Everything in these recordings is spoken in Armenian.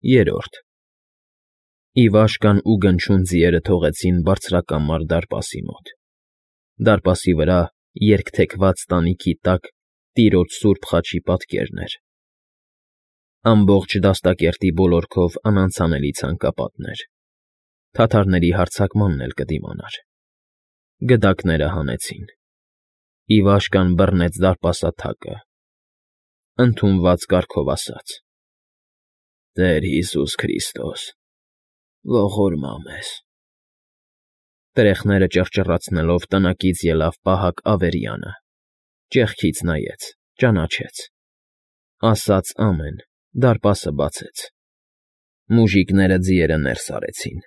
Երրորդ Իվաշկան ու Գնչուն ձիերը թողեցին բարձրակամար դարպասի մոտ։ Դարպասի վրա երկթեքված տանիքի տակ տիրոջ սուրբ խաչի պատկերն էր։ Ամբողջ դաստակերտի բոլորքով անանցանելի ցանկապատներ, թաթարների հարձակմանն էլ կդիմանար։ Գդակները հանեցին։ Իվաշկան բռնեց դարպասաթակը, ընդունված կարգով ասաց. «Տեր Հիսուս Քրիստոս, ողորմա մեզ»։ Տրեխները ճռճռացնելով տնակից ելավ պահակ Ավերյանը, ճեղքից նայեց, ճանաչեց, ասաց ամեն, դարպասը բացեց։ Մուժիկները ձիերը ներս արեցին։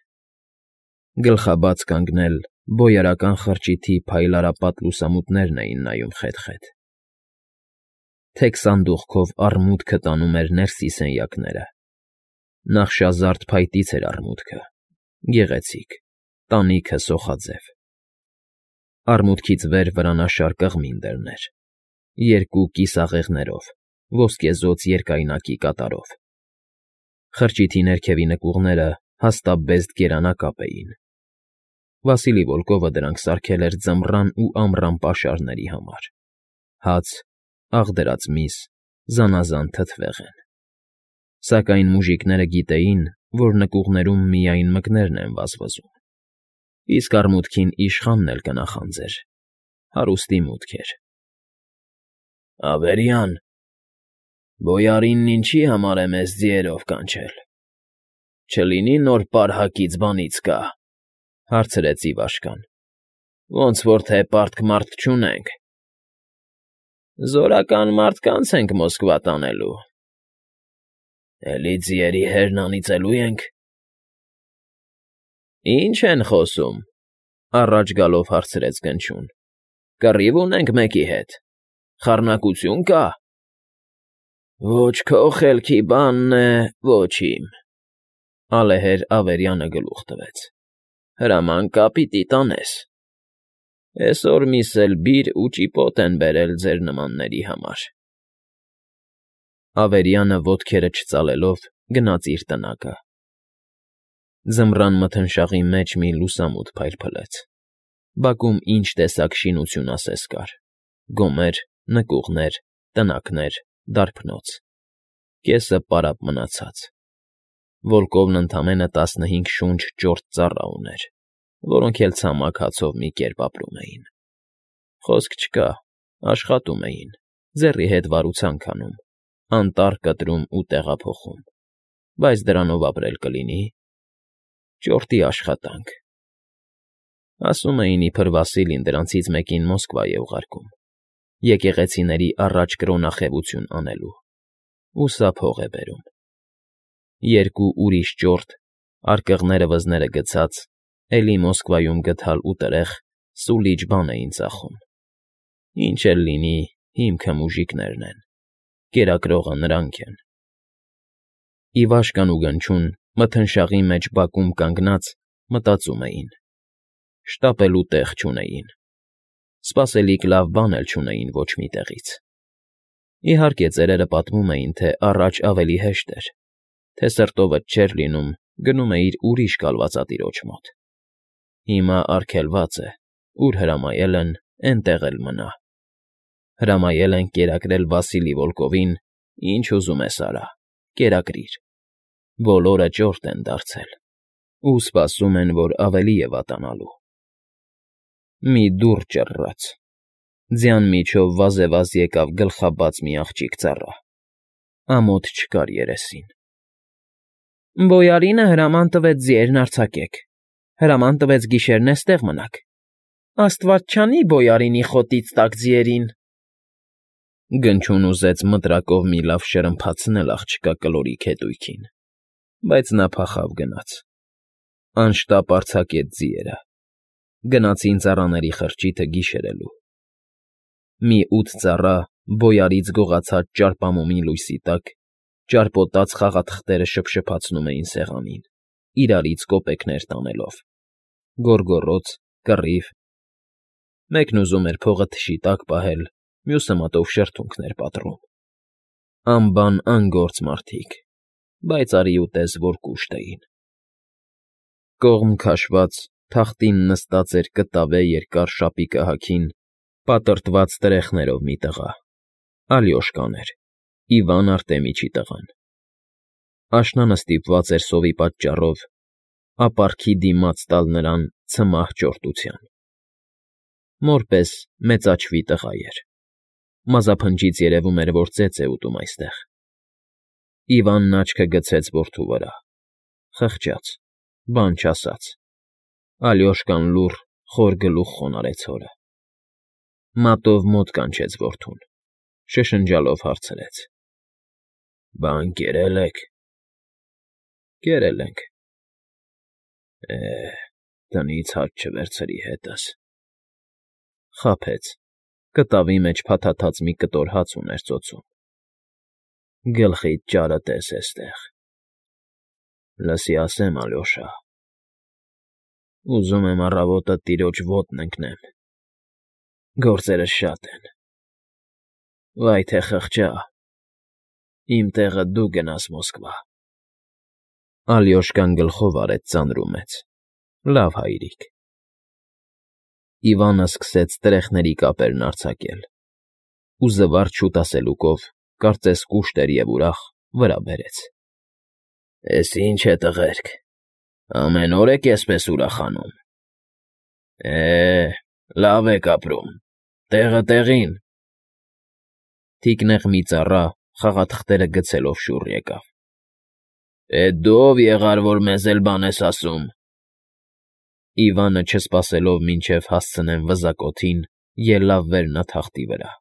Գլխաբաց կանգնել բոյարական խրճիթի փայլարապատ լուսամուտներն էին նայում խետ֊խետ։ Թեք սանդուղքով առմուտքը տանում էր ներսի սենյակները։ Նախշազարդ փայտից էր առմուտքը, գեղեցիկ, տանիքը սոխաձև։ Առմուտքից վեր վրանաշար կղմին դռներ, երկու կիսաղեղներով, ոսկեզօծ երկայնակի կատարով։ Խրճիթի ներքևի նկուղները հաստաբեզդ գերանակապ էին։ Վասիլի Վոլկովը դրանք սարքել էր ձմռան ու ամռան պաշարների համար։ Հաց, աղդրած միս, զանազան թթվեղ են։ Սակայն մուժիկները գիտեին, որ նկուղներում միայն մկներն են վազվզում, իսկ առմուտքին իշխանն էլ կնախանձեր, հարուստի մուտք էր։ «Ավերյան, բոյարինն ինչի համար է մեզ ձիերով կանչել, չլինի նոր պարհակից բանից կա», հարցրեց Իվաշկան։ «Ոնց որ թե պարտք֊մարտք չունենք»։ «Զորական մարդկանց ենք Մոսկվա տանելու»։ «Էլի ձիերի հերն անիծելու ենք»։ «Ի՞նչ են խոսում», առաջ գալով հարցրեց Գնչուն։ «Կռիվ ունենք մեկի հետ, խառնակություն կա»։ «Ոչ քո խելքի բանն է, ոչ իմ», ալեհեր Ավերյանը գլուխ տվեց։ «Հրաման կա պիտի տանես։ Էսօր միս էլ բիր ու ճիպոտ են բերել ձեր նմանների համար»։ Ավերյանը ոտքերը չծալելով գնաց իր տնակը։ Ձմռան մթնշաղի մեջ մի լուսամուտ փայլփլեց։ Բակում ինչ տեսակ շինություն ասես կար՝ գոմեր, նկուղներ, տնակներ, դարբնոց։ Կեսը պարապ մնացած։ Վոլկովն ընդամենը 15 շունչ ճորտ ծառա ուներ, որոնք էլ ցամաք հացով մի կերպ ապրում էին։ Խոսք չկա, աշխատում էին, ձեռի հետ վարուցանք անում, անտառ կտրում ու տեղափոխում, բայց դրանով ապրել կլինի։ Ճորտի աշխատանք։ Ասում էին, իբր Վասիլին դրանցից մեկին Մոսկվա է ուղարկում, եկեղեցիների առաջ կրոնախևություն անելու, ու սա փող է բերում։ Երկու ուրիշ ճորտ, արկղները վզները գցած, էլի Մոսկվայում գդալ ու տրեղ, սուլիչ բան էին ծախում։ Ինչ էլ լինի, հիմքը մուժիկներն են, կերակրողը նրանք են։ Իվաշկան ու Գնչուն մթնշաղի մեջ բակում կանգնած մտածում էին։ Շտապելու տեղ չունեին։ Սպասելիք լավ բան էլ չունեին ոչ մի տեղից։ Իհարկե, ծերերը պատմում էին, թե առաջ ավելի հեշտ էր, թե սրտովդ չէր լինում, գնում էիր ուրիշ կալվածատիրոջ մոտ։ Հիմա արգելված է, ուր հրամայել են, էնտեղ էլ մնա։ Հրամայել են կերակրել Վասիլի Վոլկովին, ինչ ուզում ես արա, կերակրիր։ Բոլորը ճորտ են դարձել ու սպասում են, որ ավելի է վատանալու։ Մի դուռ ճռռաց։ Ձյան միջով վազևազ եկավ գլխաբաց մի աղջիկ ծառա։ Ամոթ չկար երեսին։ «Բոյարինը հրաման տվեց ձիերն արձակեք, հրաման տվեց գիշերն էստեղ մնաք։ Աստված չանի բոյարինի խոտից տաք ձիերին»։ Գնչուն ուզեց մտրակով մի լավ շրմփացնել աղջկա կլորիկ հետույքին, բայց նա փախավ գնաց։ Անշտապ արձակեց ձիերը։ Գնացին ծառաների խրճիթը գիշերելու։ Մի 8 ծառա բոյարից գողացած ճարպամոմի լույսի տակ ճարպոտած խաղաթղթերը շփշփացնում էին սեղանին, իրարից կոպեկներ տանելով։ Գոռգոռոց, կռիվ։ Մեկն ուզում էր փողը թշի տակ պահել, մյուսը մատով շրթունքներ պատռում։ Անբան անգործ մարդիկ, բայց արի ուտես, որ կուշտ էին։ Կողմ քաշված, թախտին նստած էր կտավե երկար շապիկը հագին, պատրտված տրեխներով մի տղա, Ալյոշկան էր, Իվան Արտեմիչի տղան։ Աշնանը ստիպված էր սովի պատճառով ապարքի դիմաց տալ նրան ցմահ ճորտության։ Մոր պես մեծաչվի տղա էր։ Մազափնջից երևում էր, որ ծեծ է ուտում այստեղ։ Իվանն աչքը գցեց որդու վրա, խղճաց, բան չասաց։ Ալյոշկան լուռ, խոր գլուխ խոնարհեց հորը։ Մատով մոտ կանչեց որդուն, շշնջալով հարցրեց. Բան կերել եք։ Կերել ենք։ Տնից հաց չվերցրի հետս։ Խաբեց, կտավի մեջ փաթաթած մի կտոր հաց ուներ ծոցում։ Գլխիդ ճարը տես էստեղ։ Լսի ասեմ, Ալյոշա, ուզում եմ առավոտը տիրոջ ոտն ընկնեմ։ Գործերս շատ են։ Վայ թե խղճա, իմ տեղը դու գնաս Մոսկվա։ Ալյոշկան գլխով արեց ծանրումեց։ Լավ հայրիկ։ Իվանը սկսեց տրեխների կապերն արձակել ու զվարճ շուտ ասելուկով, կարծես կուշտ էր և ուրախ, վրա բերեց։ Էս ինչ է, տղերք, ամեն օր եք էսպես ուրախանում։ Լավ եք ապրում, տեղը տեղին։ Թիկնեղ մի ծառա, խաղաթղթերը գցելով շուռ եկավ։ Դու ով եղար, որ մեզ էլ բան ես ասում։ Իվանը, չսպասելով մինչև հասցնեն վզակոթին, ելավ վերնաթախտի վրա։